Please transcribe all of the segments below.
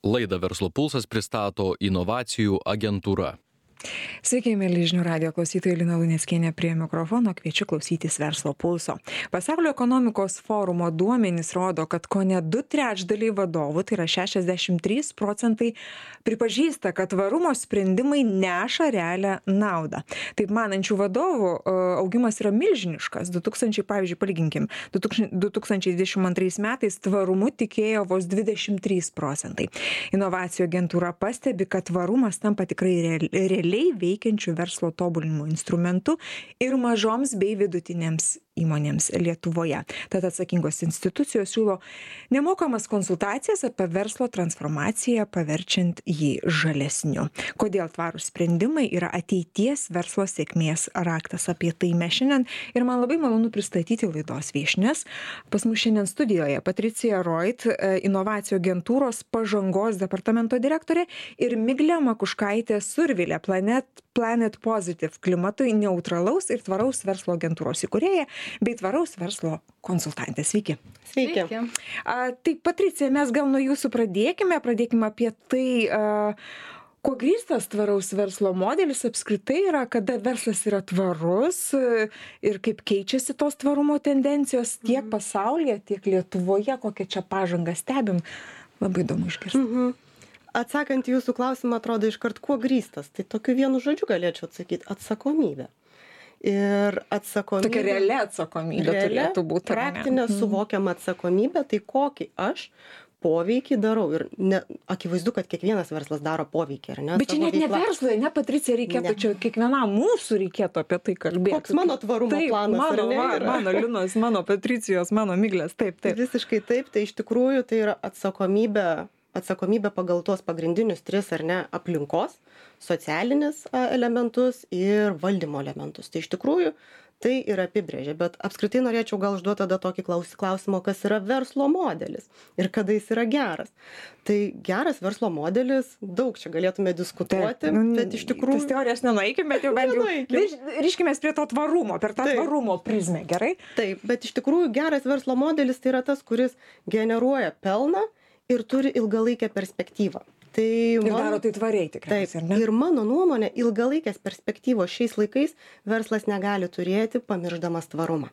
Laidą Verslo pulsas pristato inovacijų agentūra. Sveiki, mėly žinių radijo klausytojai, Lina Luneckienė prie mikrofono, kviečiu klausytis Verslo pulso. Pasaulio ekonomikos forumo duomenys rodo, kad kone 2/3 vadovų, tai yra 63%, pripažįsta, kad tvarumo sprendimai neša realią naudą. Taip manančių vadovų augimas yra milžiniškas. 2022 metais tvarumu tikėjo vos 23%. Inovacijų agentūra pastebi, kad tvarumas tampa tikrai realiai veikiančių verslo tobulinimo instrumentų ir mažoms bei vidutinėms įmonėms Lietuvoje. Tad atsakingos institucijos siūlo nemokamas konsultacijas apie verslo transformaciją, paverčiant jį žalesniu. Kodėl tvarūs sprendimai yra ateities verslo sėkmės raktas? Apie tai mes šiandien ir man labai malonu pristatyti laidos viešnias. Pas mus šiandien studijoje Patricija Roit, inovacijų agentūros pažangos departamento direktorė, ir Miglė Makuškaitė Survilė, Planet Positive klimatui neutralaus ir tvaraus verslo agentūros įkūrėja bei tvaraus verslo konsultantė. Sveiki. Sveiki. Tai Patricija, mes gal nuo jūsų pradėkime apie tai, kuo grįstas tvaraus verslo modelis apskritai yra, kada verslas yra tvarus ir kaip keičiasi tos tvarumo tendencijos tiek pasaulyje, tiek Lietuvoje, kokią čia pažangą stebim. Labai įdomu išgirsti. Atsakant į jūsų klausimą, atrodo iškart kuo grįstas. Tai tokiu vienu žodžiu galėčiau atsakyti - atsakomybė. Ir atsakomybė. Tokia reali atsakomybė turėtų būti. Praktinė suvokiama atsakomybė, tai kokį aš poveikį darau. Ir akivaizdu, kad kiekvienas verslas daro poveikį, ar ne? Bet čia net ne verslai, ne Patricija, reikėtų čia kiekvienam mūsų reikėtų apie tai kalbėti. Koks mano tvarumo planas? Mano Linos, mano Patricijos, mano Miglės, taip. Visiškai taip, tai iš tikrųjų tai yra atsakomybė pagal tuos pagrindinius 3, ar ne, aplinkos, socialinis elementus ir valdymo elementus. Tai iš tikrųjų tai ir apibrėžia, bet apskritai norėčiau gal užduoti tada tokį klausimą, kas yra verslo modelis ir kada jis yra geras. Tai geras verslo modelis, daug čia galėtume diskutuoti, bet iš tikrųjų... Tas teorijas nenueikim, bet jau bent jau ryškimės prie to tvarumo, per tą tvarumo prizmę, gerai? Taip, bet iš tikrųjų geras verslo modelis tai yra tas, kuris generuoja pelną ir turi ilgalaikę perspektyvą. Ir daro tai tvariai tikriausiai, ar ne? Ir mano nuomonė, ilgalaikės perspektyvos šiais laikais verslas negali turėti, pamiršdamas tvarumą.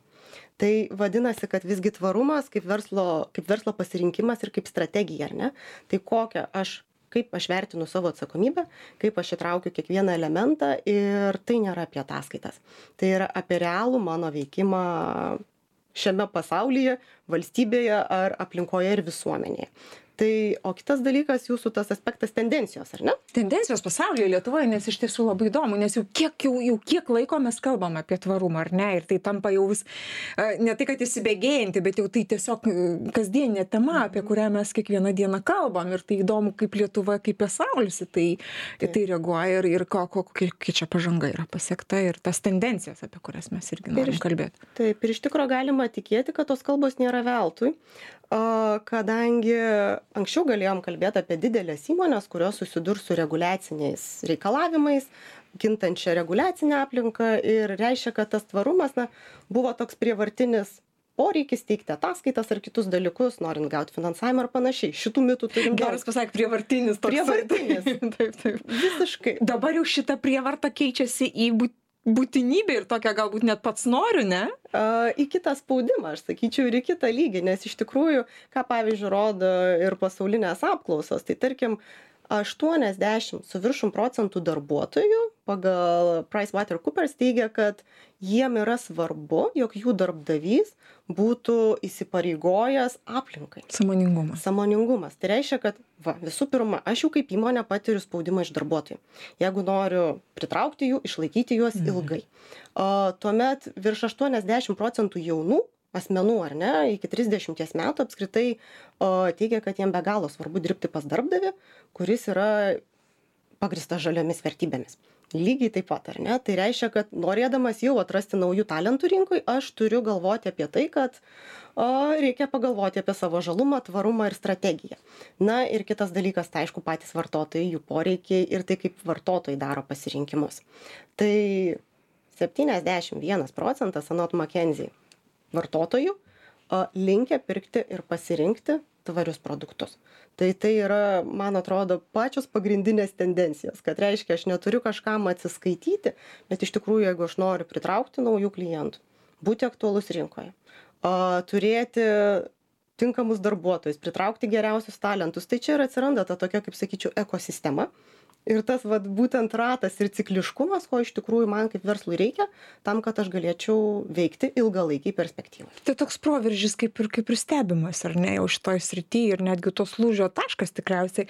Tai vadinasi, kad visgi tvarumas kaip verslo pasirinkimas ir kaip strategija, ar ne? Tai kaip aš vertinu savo atsakomybę, kaip aš įtraukiu kiekvieną elementą ir tai nėra apie ataskaitas. Tai yra apie realų mano veikimą šiame pasaulyje, valstybėje ar aplinkoje ir visuomenėje. Tai, o kitas dalykas, jūsų tas aspektas tendencijos, ar ne? Tendencijos pasaulyje, Lietuvoje, nes iš tiesų labai įdomu, nes jau kiek laiko mes kalbam apie tvarumą, ar ne? Ir tai tampa jau vis, ne tai, kad įsibėgėjanti, bet jau tai tiesiog kasdieninė tema, apie kurią mes kiekvieną dieną kalbam. Ir tai įdomu, kaip Lietuva, kaip pasaulis tai reaguoja ir kokia čia pažanga yra pasiekta ir tas tendencijas, apie kurias mes irgi norim kalbėti. Taip, ir iš tikrųjų galima tikėti, kad tos kalbos nėra veltui, kadangi anksčiau galėjom kalbėti apie didelės įmonės, kurios susidurs su reguliaciniais reikalavimais, kintančią reguliacinę aplinką ir reiškia, kad tas tvarumas buvo toks prievartinis poreikis teikti ataskaitas ar kitus dalykus, norint gauti finansavimą ar panašiai. Šitų mitų turim daug. Geras pasakė, prievartinis. Prievartinis. Taip. Visiškai. Dabar jau šita prievarta keičiasi į būtinybė ir tokia galbūt net pats noriu, ne? Į kitą spaudimą, aš sakyčiau, ir į kitą lygį, nes iš tikrųjų, ką pavyzdžiui rodo ir pasaulinės apklausos, tai tarkim 80 su viršum procentų darbuotojų pagal PricewaterhouseCoopers teigia, kad jiem yra svarbu, jog jų darbdavys būtų įsipareigojęs aplinkai. Sąmoningumas. Tai reiškia, kad visų pirma, aš jau kaip įmonė patiriu spaudimą iš darbuotojų. Jeigu noriu pritraukti jų, išlaikyti juos ilgai. Tuomet virš 80 procentų jaunų asmenų, ar ne, iki 30 metų apskritai teigia, kad jiem be galo svarbu dirbti pas darbdavį, kuris yra pagrįstas žaliomis vertybėmis. Lygiai taip pat, ar ne? Tai reiškia, kad norėdamas jau atrasti naujų talentų rinkoj, aš turiu galvoti apie tai, kad reikia pagalvoti apie savo žalumą, tvarumą ir strategiją. Na ir kitas dalykas, tai aišku, patys vartotojai, jų poreikiai ir tai, kaip vartotojai daro pasirinkimus. Tai 71 procentas anot McKinsey vartotojų linkę pirkti ir pasirinkti tvarius produktus. Tai yra, man atrodo, pačios pagrindinės tendencijos, kad reiškia, aš neturiu kažkam atsiskaityti, bet iš tikrųjų, jeigu aš noriu pritraukti naujų klientų, būti aktualus rinkoje, turėti tinkamus darbuotojus, pritraukti geriausius talentus, tai čia ir atsiranda ta tokia, kaip sakyčiau, ekosistema. Ir tas būtent ratas ir cikliškumas, ko iš tikrųjų man kaip verslui reikia, tam, kad aš galėčiau veikti ilgalaikiai perspektyvai. Tai toks proveržis kaip ir stebimas, ar ne, jau šitoj srityje ir netgi tos lūžio taškas tikriausiai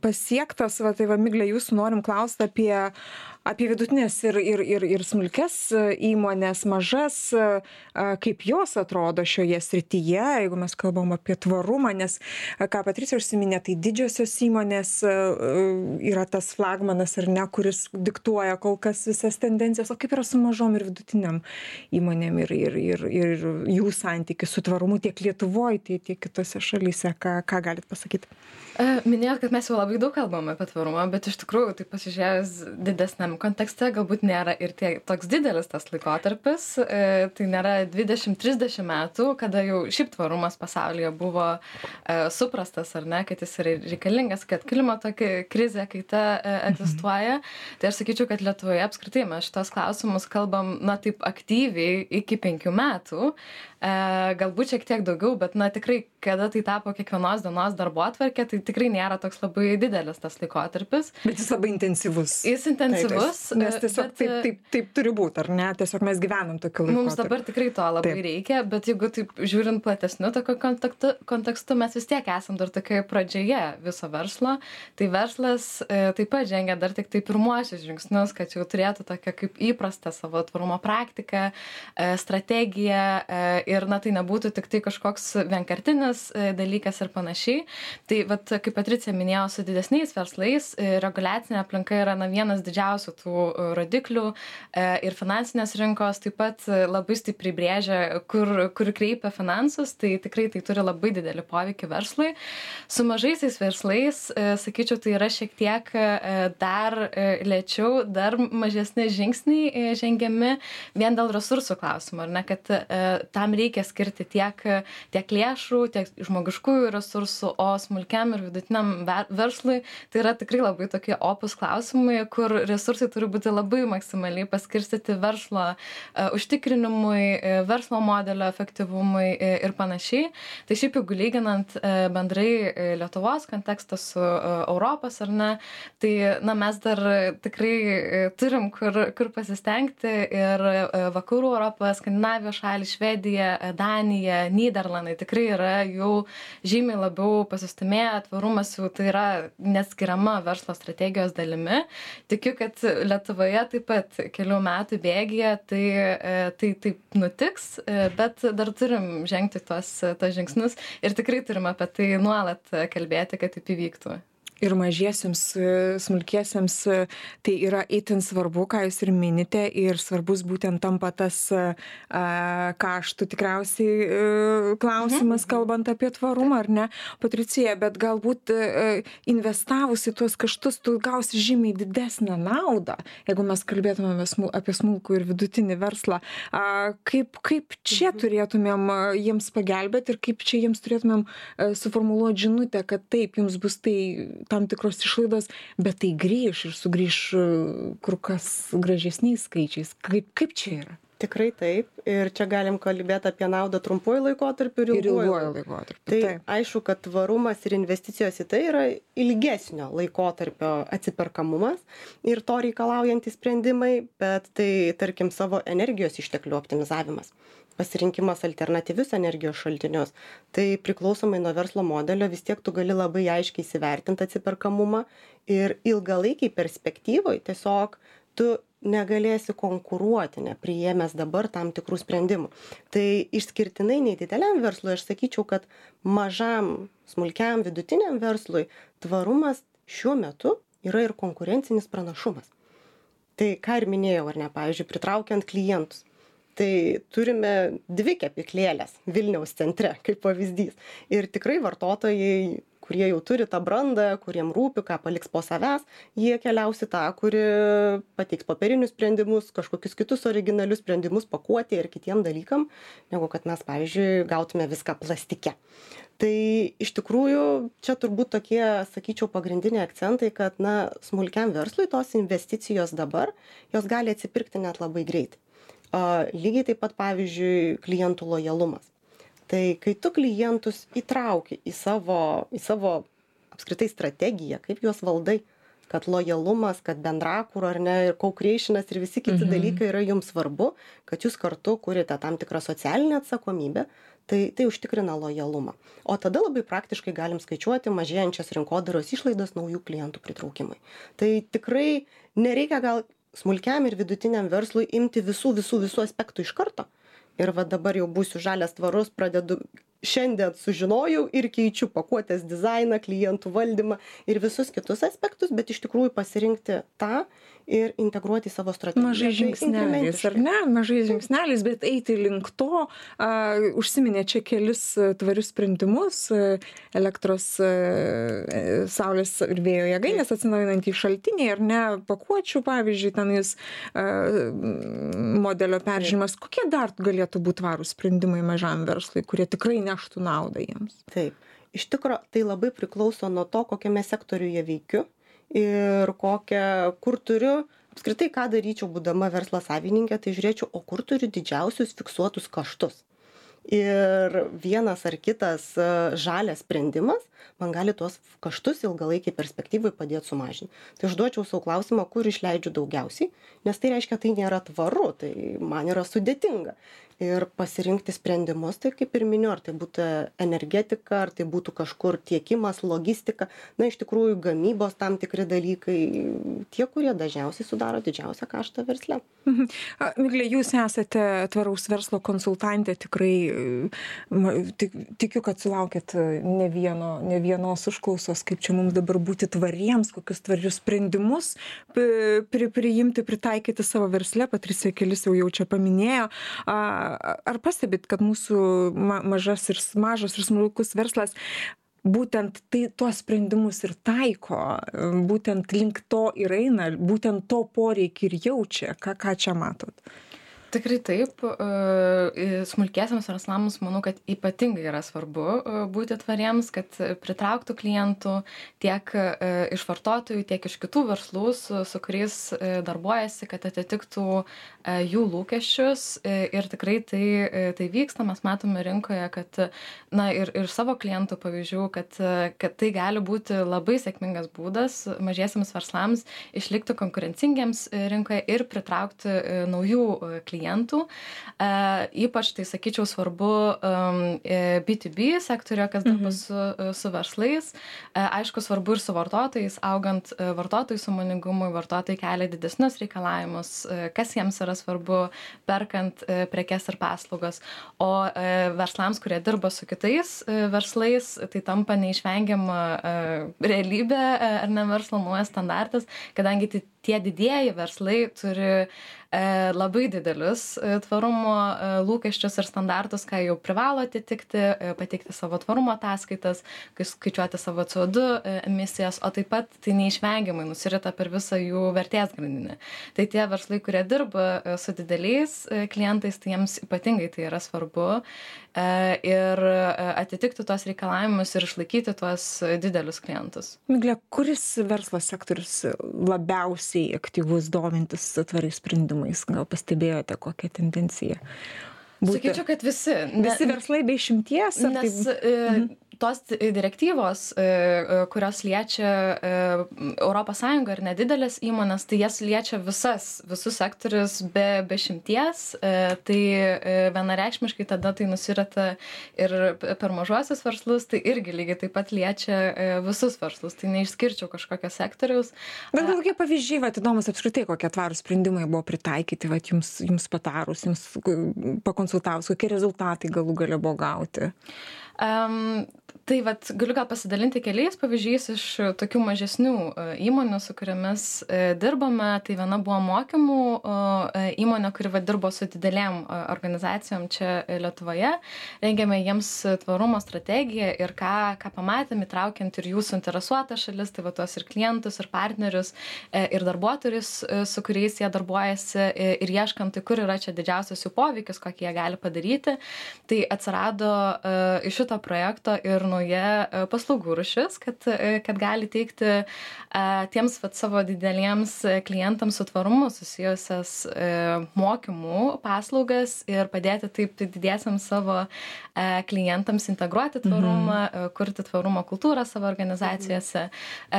pasiektas. Tai Migle, jūsų norim klausti apie vidutinės ir smulkes įmonės, mažas, kaip jos atrodo šioje srityje, jeigu mes kalbam apie tvarumą, nes, ką Patricija užsiminė, tai didžiosios įmonės yra tas flagmanas, ar ne, kuris diktuoja kol kas visas tendencijas, o kaip yra su mažom ir vidutiniam įmonėm ir jų santykis su tvarumu tiek Lietuvoje, tiek kitose šalyse, ką galit pasakyti? Minėjot, kad mes jau labai daug kalbame apie tvarumą, bet iš tikrųjų, tai pasižiūrėjus didesniam kontekste, galbūt nėra ir toks didelis tas laikotarpis, tai nėra 20-30 metų, kada jau šiaip tvarumas pasaulyje buvo suprastas, ar ne, kad jis yra reikalingas, kad klimato krizė, kaita egzistuoja. Tai aš sakyčiau, kad Lietuvoje apskritai mes šitos klausimus kalbam, taip aktyviai iki 5 metų, galbūt šiek tiek daugiau, bet tikrai, kada tai tapo kiekvienos dienos darbotvarkė, tai tikrai nėra toks labai didelis tas laikotarpis. Bet jis labai intensyvus. Jis intensyvus. Nes tiesiog taip turi būti, ar ne? Tiesiog mes gyvenam tokiu laikotarpiu. Mums dabar tikrai to labai reikia, bet jeigu taip žiūrint platesniu tokio kontekstu, mes vis tiek esam dar tokioje pradžioje viso verslo. Tai verslas taip pat žengia dar tik pirmuosius žingsnius, kad jau turėtų tokią kaip įprastą savo tvarumo praktiką, strategiją ir tai nebūtų tik tai kažkoks vienkartinis dalykas ir panašiai. Tai kaip Patricija minėjo, su didesniais verslais reguliacinė aplinka yra vienas didžiausių tų rodiklių ir finansinės rinkos taip pat labai stipriai brėžia, kur kreipia finansus, tai tikrai tai turi labai didelį poveikį verslui. Su mažaisiais verslais, sakyčiau, tai yra šiek tiek dar lėčiau, dar mažesni žingsniai žengiami vien dėl resursų klausimų, ar ne, kad tam reikia skirti tiek lėšų, tiek žmogiškųjų resursų, o smulkiam ir vidutiniam verslui tai yra tikrai labai tokie opus klausimai, kur resursai turi būti labai maksimaliai paskirstyti verslo užtikrinimui, verslo modelio efektyvumui ir panašiai. Tai šiaip jeigu lyginant bendrai Lietuvos kontekstą su Europos, ar ne, tai mes dar tikrai turim kur pasistengti ir vakarų Europą, Skandinavijos šalį, Švedija, Danija, Nyderlandai tikrai yra jau žymiai labiau pasistumėję, tvarumas jau tai yra neatskiriama verslo strategijos dalimi. Tikiu, kad Lietuvoje taip pat kelių metų bėgyje tai taip nutiks, bet dar turim žengti tuos žingsnius ir tikrai turim apie tai nuolat kalbėti, kad taip įvyktų. Ir mažiesiems, smulkiesiems tai yra itin svarbu, ką jūs ir minite, ir svarbus būtent tampa tas kaštų tikriausiai klausimas, kalbant apie tvarumą, ar ne, Patricija, bet galbūt investavus į tuos kaštus, tu gausi žymiai didesnę naudą, jeigu mes kalbėtumėme apie smulkų ir vidutinį verslą. Kaip čia turėtumėm jiems pagelbėti ir kaip čia jiems turėtumėm suformuluoti žinutę, kad taip, jums bus tai tam tikros išlaidos, bet tai grįš ir sugrįš kur kas gražesniais skaičiais. Kaip čia yra? Tikrai taip. Ir čia galim kalbėti apie naudą trumpuoju laikotarpiu ir ilguoju laikotarpiu. Tai aišku, kad tvarumas ir investicijos į tai yra ilgesnio laikotarpio atsiperkamumas ir to reikalaujantys sprendimai, bet tai, tarkim, savo energijos išteklių optimizavimas, pasirinkimas alternatyvius energijos šaltinius. Tai priklausomai nuo verslo modelio vis tiek tu gali labai aiškiai įsivertinti atsiperkamumą ir ilgalaikiai perspektyvoj tiesiog tu negalėsi konkuruoti, nepriėmęs dabar tam tikrų sprendimų. Tai išskirtinai nedideliam verslui aš sakyčiau, kad mažam, smulkiam, vidutiniam verslui tvarumas šiuo metu yra ir konkurencinis pranašumas. Tai ką ir minėjau, ar ne, pavyzdžiui, pritraukiant klientus. Tai turime 2 kepyklėlės Vilniaus centre, kaip pavyzdys. Ir tikrai vartotojai, kurie jau turi tą brandą, kuriem rūpi, ką paliks po savęs, jie keliaus į tą, kuri pateiks popierinius sprendimus, kažkokius kitus originalius sprendimus pakuotė ir kitiem dalykam, negu kad mes, pavyzdžiui, gautume viską plastike. Tai iš tikrųjų čia turbūt tokie, sakyčiau, pagrindiniai akcentai, kad smulkiam verslui tos investicijos dabar, jos gali atsipirkti net labai greitai. Lygiai taip pat, pavyzdžiui, klientų lojalumas. Tai kai tu klientus įtrauki į savo apskritai strategiją, kaip juos valdai, kad lojalumas, kad bendrakūra ar ne, ir co-creationas ir visi kiti dalykai yra jums svarbu, kad jūs kartu kuriate tam tikrą socialinę atsakomybę, tai užtikrina lojalumą. O tada labai praktiškai galim skaičiuoti mažėjančias rinkodaros išlaidas naujų klientų pritraukimui. Tai tikrai nereikia gal smulkiam ir vidutiniam verslui imti visų aspektų iš karto. Ir va dabar jau būsiu žalias tvarus, pradedu šiandien sužinojau ir keičiu pakuotės dizainą, klientų valdymą ir visus kitus aspektus, bet iš tikrųjų pasirinkti tą ir integruoti į savo strategiją. Mažai žingsneliais, ar ne? Mažai žingsneliais, bet eiti link to. Užsiminė čia kelis tvarius sprendimus, elektros, saulės ir vėjo jėgainės atsinaujinantys šaltiniai, ar ne, pakuočių, pavyzdžiui, tenais modelio peržiūrimas. Kokie dar galėtų būti tvarūs sprendimai mažam verslui, kurie tikrai neštų naudą jiems? Taip. Iš tikro, tai labai priklauso nuo to, kokiame sektoriuje veikiu ir kur turiu, apskritai ką daryčiau būdama verslo savininkė, tai žiūrėčiau, o kur turiu didžiausius fiksuotus kaštus. Ir vienas ar kitas žalias sprendimas man gali tuos kaštus ilgalaikiai perspektyvai padėti sumažinti. Tai užduočiau savo klausimą, kur išleidžiu daugiausiai, nes tai reiškia, tai nėra tvaru, tai man yra sudėtinga. Ir pasirinkti sprendimus, tai kaip ir miniu, ar tai būtų energetika, ar tai būtų kažkur tiekimas, logistika, iš tikrųjų gamybos tam tikri dalykai, tie, kurie dažniausiai sudaro didžiausią kaštą versle. Miglė, jūs esate tvaraus verslo konsultantė, tikrai tikiu, kad sulaukėt ne vienos užklausos, kaip čia mums dabar būti tvariems, kokius tvarius sprendimus priimti, pritaikyti savo versle. Patricija kelis jau čia paminėjo. Ar pastebit, kad mūsų mažas ir smulkus verslas būtent tuos sprendimus ir taiko, būtent link to ir eina, būtent to poreikį ir jaučia? Ką čia matot? Tikrai taip. Smulkiesiams verslams manau, kad ypatingai yra svarbu būti tvariems, kad pritrauktų klientų tiek iš vartotojų, tiek iš kitų verslų, su kuriais darbuojasi, kad atitiktų jų lūkesčius. Ir tikrai tai vyksta. Mes matome rinkoje, kad ir savo klientų pavyzdžių, kad tai gali būti labai sėkmingas būdas mažiesiams verslams išlikti konkurencingiems rinkoje ir pritraukti naujų klientų. Ypač tai, sakyčiau, svarbu B2B sektoriuje, kas dirba su verslais. Aišku, svarbu ir su vartotojais, augant vartotojų sąmoningumui, vartotojai kelia didesnius reikalavimus, kas jiems yra svarbu, perkant prekes ir paslaugas. O verslams, kurie dirba su kitais verslais, tai tampa neišvengiama realybė ar ne verslo naujas standartas, kadangi tie didieji verslai turi labai didelius tvarumo lūkesčius ir standartus, ką jau privalo atitikti, pateikti savo tvarumo ataskaitas, skaičiuoti savo CO2 emisijas, o taip pat tai neišvengiamai nusirita per visą jų vertės grandinę. Tai tie verslai, kurie dirba su dideliais klientais, tai jiems ypatingai tai yra svarbu ir atitikti tuos reikalavimus ir išlaikyti tuos didelius klientus. Miglė, kuris verslo sektorius labiausiai aktyvus domintis tvariais sprendimais? Gal pastebėjote kokią tendenciją? Sakyčiau, kad visi. Visi verslai be išimties? Nes tos direktyvos, kurios liečia ES ir nedidelės įmonės, tai jas liečia visus sektorius be išimties. Tai vienareikšmiškai tada tai nusirita ir per mažuosius verslus, tai irgi lygiai taip pat liečia visus verslus. Tai neišskirčiau kažkokio sektoriaus. Bet kokie pavyzdžiai, įdomus apskritai, kokie tvarūs sprendimai buvo pritaikyti, jums patarus, jums pakonsultavus, kokie rezultatai galų gale buvo gauti? Tai vat, galiu gal pasidalinti keliais pavyzdžiais iš tokių mažesnių įmonių, su kuriamis dirbame. Tai viena buvo mokymų įmonė, kuri dirbo su didelėm organizacijom čia Lietuvoje. Rengėme jiems tvarumo strategiją ir ką pamatėm, įtraukiant ir jų suinteresuotą šalis, tai tuos ir klientus, ir partnerius, ir darbuotojus, su kuriais jie darbuojasi, ir ieškant, tai kur yra čia didžiausias jų poveikis, kokį jie gali padaryti. Tai atsirado iš šito projekto ir nauja paslaugų rūšis, kad gali teikti tiems savo dideliems klientams su tvarumu susijusias mokymų paslaugas ir padėti taip didiesiams savo klientams integruoti tvarumą, kurti tvarumo kultūrą savo organizacijose.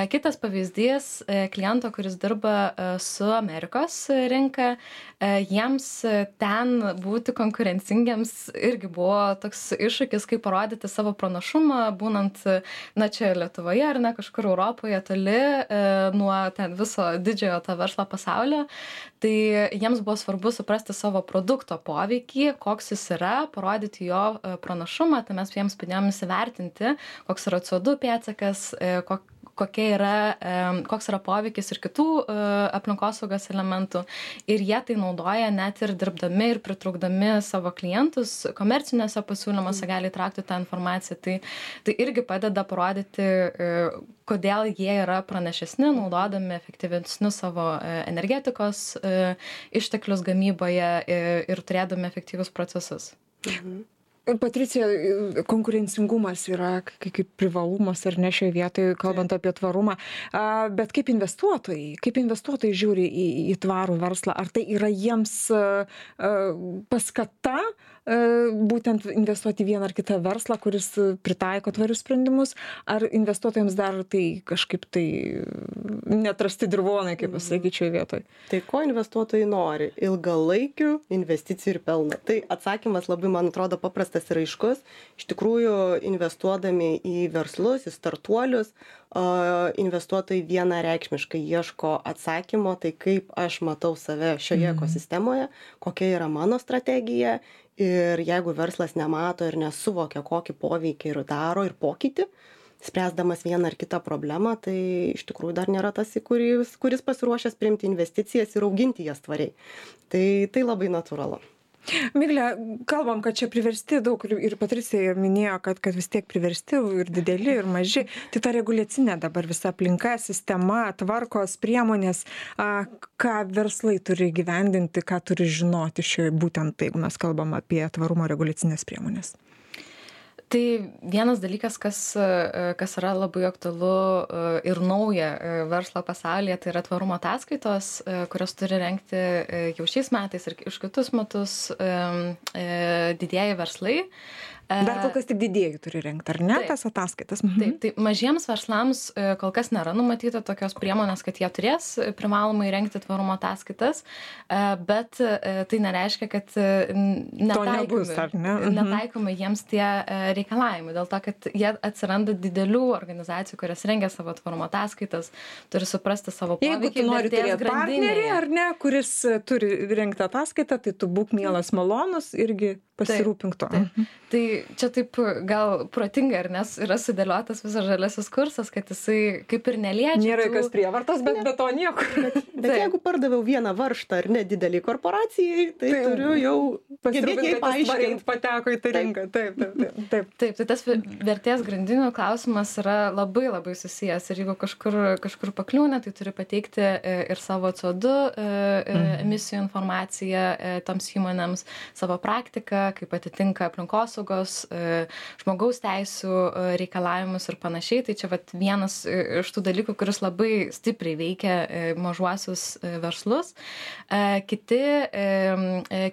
Kitas pavyzdys kliento, kuris dirba su Amerikos rinka, jiems ten būti konkurencingiams irgi buvo toks iššūkis, kaip parodyti savo pranašumą, būnant, čia Lietuvoje ar kažkur Europoje toli nuo ten viso didžiojo to verslo pasaulio. Tai jiems buvo svarbu suprasti savo produkto poveikį, koks jis yra, parodyti jo pranašumą, tai mes jiems padėjom įsivertinti, koks yra CO2 pėdsakas, koks yra poveikis ir kitų aplinkosaugos elementų. Ir jie tai naudoja net ir dirbdami ir pritraukdami savo klientus, komercinėse pasiūlymuose gali įtraukti tą informaciją. Tai irgi padeda parodyti, kodėl jie yra pranašesni, naudodami efektyvesnius savo energetikos išteklius gamyboje ir turėdami efektyvius procesus. Patricija, konkurencingumas yra kaip privalumas ar ne šioje vietoje, kalbant apie tvarumą, bet kaip investuotojai žiūri į tvarų verslą, ar tai yra jiems paskata būtent investuoti į vieną ar kitą verslą, kuris pritaiko tvarius sprendimus, ar investuotojams dar tai kažkaip tai neatrasti dirvonai, kaip pasakyčiau, vietoj? Tai ko investuotojai nori? Ilgalaikių investicijų ir pelno. Tai atsakymas labai, man atrodo, paprastas ir aiškus. Iš tikrųjų, investuodami į verslus, į startuolius, investuotojai vienareikšmiškai ieško atsakymo, tai kaip aš matau save šioje ekosistemoje, kokia yra mano strategija. Ir jeigu verslas nemato ir nesuvokia, kokį poveikį ir daro ir pokytį, spręsdamas vieną ar kitą problemą, tai iš tikrųjų dar nėra tas, kuris pasiruošęs priimti investicijas ir auginti jas tvariai. Tai labai natūralu. Migle, kalbam, kad čia priversti daug ir Patricija minėjo, kad vis tiek priversti ir dideli, ir maži. Tai ta reguliacinė dabar visa aplinka, sistema, tvarkos, priemonės, ką verslai turi gyvendinti, ką turi žinoti būtent tai, jeigu mes kalbam apie tvarumo reguliacinės priemonės. Tai vienas dalykas, kas yra labai aktualu ir nauja verslo pasaulyje, tai yra tvarumo ataskaitos, kurios turi rengti jau šiais metais ir už kitus metus didieji verslai. Dar kol kas tik didieji turi rengti, ar ne, tas ataskaitas? Taip, tai mažiems verslams kol kas nėra numatyta tokios priemonės, kad jie turės privalomai rengti tvarumo ataskaitas, bet tai nereiškia, kad netaikomi jiems tie reikalavimai, dėl to, kad jie atsiranda didelių organizacijų, kurios rengia savo tvarumo ataskaitas, turi suprasti savo poveikį. Jeigu tu nori turėti partnerį, ar ne, kuris turi rengti ataskaitą, tai tu būk mielas malonus irgi pasirūpink to. Tai čia taip gal protinga, nes yra sudėliotas visas žaliasis kursas, kad jisai kaip ir neliečia. Nėra jokios prievartos, bet be to niekur. Bet jeigu pardaviau vieną varžtą ar ne didelį korporacijai, tai turiu jau pasirūpinti, kad tvariai pateko į tą rinką. Taip. Tai tas vertės grandinių klausimas yra labai labai susijęs. Ir jeigu kažkur pakliūna, tai turi pateikti ir savo CO2 emisijų informaciją toms įmonėms, savo praktiką, kaip atitinka aplinkosaugos, žmogaus teisų reikalavimus ir panašiai. Tai čia vienas iš tų dalykų, kuris labai stipriai veikia mažuosius verslus.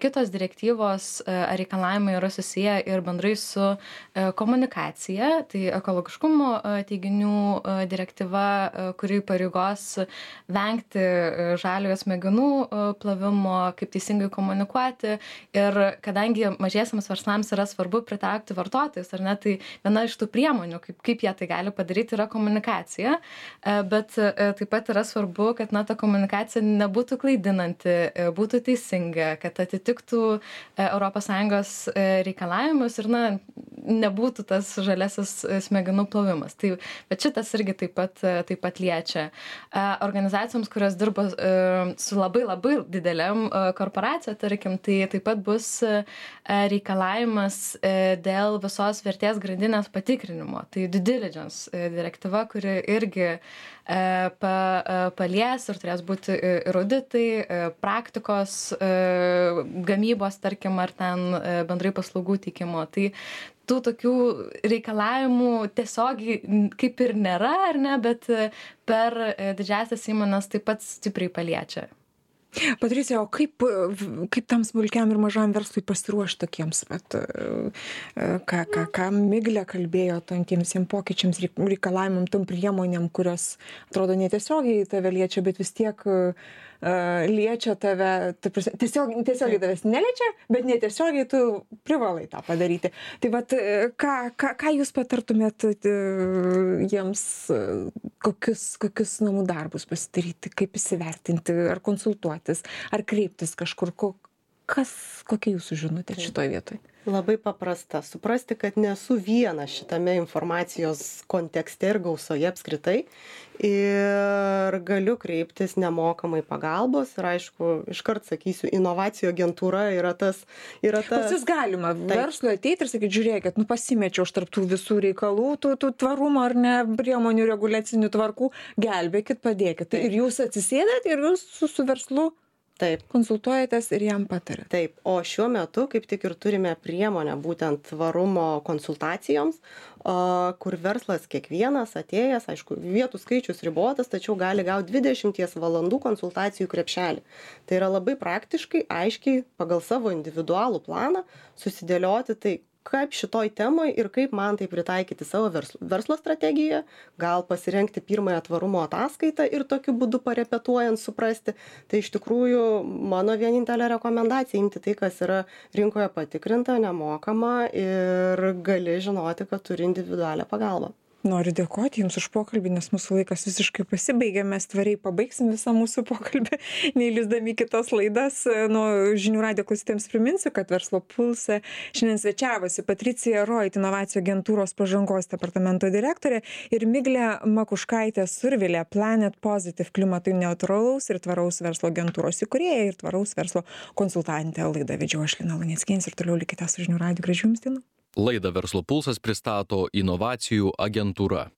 Kitos direktyvos reikalavimai yra susiję ir bendrai su komunikacija. Tai ekologiškumo teiginių direktyva, kuri pareigos vengti žaliojo smegenų plovimo, kaip teisingai komunikuoti. Ir kadangi mažiesiams verslams yra svarbu pritaikyti pritraukti vartotojus, ar ne? Tai viena iš tų priemonių, kaip jie tai gali padaryti, yra komunikacija, bet taip pat yra svarbu, kad ta komunikacija nebūtų klaidinanti, būtų teisinga, kad atitiktų ES reikalavimus ir nebūtų tas žaliasis smegenų plovimas. Bet šitas irgi taip pat liečia. Organizacijoms, kurios dirba su labai labai dideliam korporacija, tarkim, tai taip pat bus reikalavimas dėl visos vertės grandinės patikrinimo. Tai due diligence direktyva, kuri irgi palies ir turės būti ir auditai, praktikos, gamybos, tarkim, ar ten bendrai paslaugų teikimo. Tai tų tokių reikalavimų tiesiogiai kaip ir nėra, ar ne, bet per didžiąsias įmones taip pat stipriai paliečia. Patricija, o kaip tam smulkiam ir mažam verslui pasiruošti tokiems, ką Miglė kalbėjo, tiems pokyčiams, reikalavimam, tom priemonėm, kurios atrodo netiesiogiai tave liečia, bet vis tiek liečia tave, tiesiogiai tavęs neliečia, bet netiesiogiai tu privalai tą padaryti. Tai vat, ką jūs patartumėt jiems, kokius namų darbus pasidaryti, kaip įsivertinti, ar konsultuotis, ar kreiptis kažkur, kokia jūsų žinutė šitoje vietoje? Labai paprasta. Suprasti, kad nesu viena šitame informacijos kontekste ir gausoje apskritai. Ir galiu kreiptis nemokamai pagalbos. Ir aišku, iškart sakysiu, inovacijų agentūra yra tas. Pas jūs galima verslui ateiti ir sakyti, žiūrėkit, pasimečiau aš tarp tų visų reikalų, tų tvarumo ar ne priemonių reguliacinių tvarkų, gelbėkit, padėkit. Ir jūs atsisėdat ir jūs su verslu konsultuojatės ir jam patarėt. Taip, o šiuo metu kaip tik ir turime priemonę būtent tvarumo konsultacijoms, kur verslas kiekvienas atėjęs, aišku, vietų skaičius ribotas, tačiau gali gauti 20 valandų konsultacijų krepšelį. Tai yra labai praktiškai, aiškiai, pagal savo individualų planą susidėlioti tai, kaip šitoj temoj ir kaip man tai pritaikyti savo verslo strategiją, gal pasirengti pirmąją tvarumo ataskaitą ir tokiu būdu parepetuojant suprasti. Tai iš tikrųjų mano vienintelė rekomendacija imti tai, kas yra rinkoje patikrinta, nemokama ir gali žinoti, kad turi individualią pagalbą. Noriu dėkoti Jums už pokalbį, nes mūsų laikas visiškai pasibaigė, mes tvariai pabaigsim visą mūsų pokalbį, neįlįsdami kitas laidas. Žinių radijo klausytojams priminsiu, kad Verslo pulse šiandien svečiavosi Patricija Roit, inovacijų agentūros pažangos departamento direktorė, ir Miglė Makuškaitė Survilė, Planet Positive klimatui neutralaus ir tvaraus verslo agentūros įkūrėja ir tvaraus verslo konsultantė. Laidą vedžiau aš, Lina Luneckienė, ir toliau likite su Žinių radiju. Gražių Jums dienų. Laidą Verslo pulsas pristato inovacijų agentūra.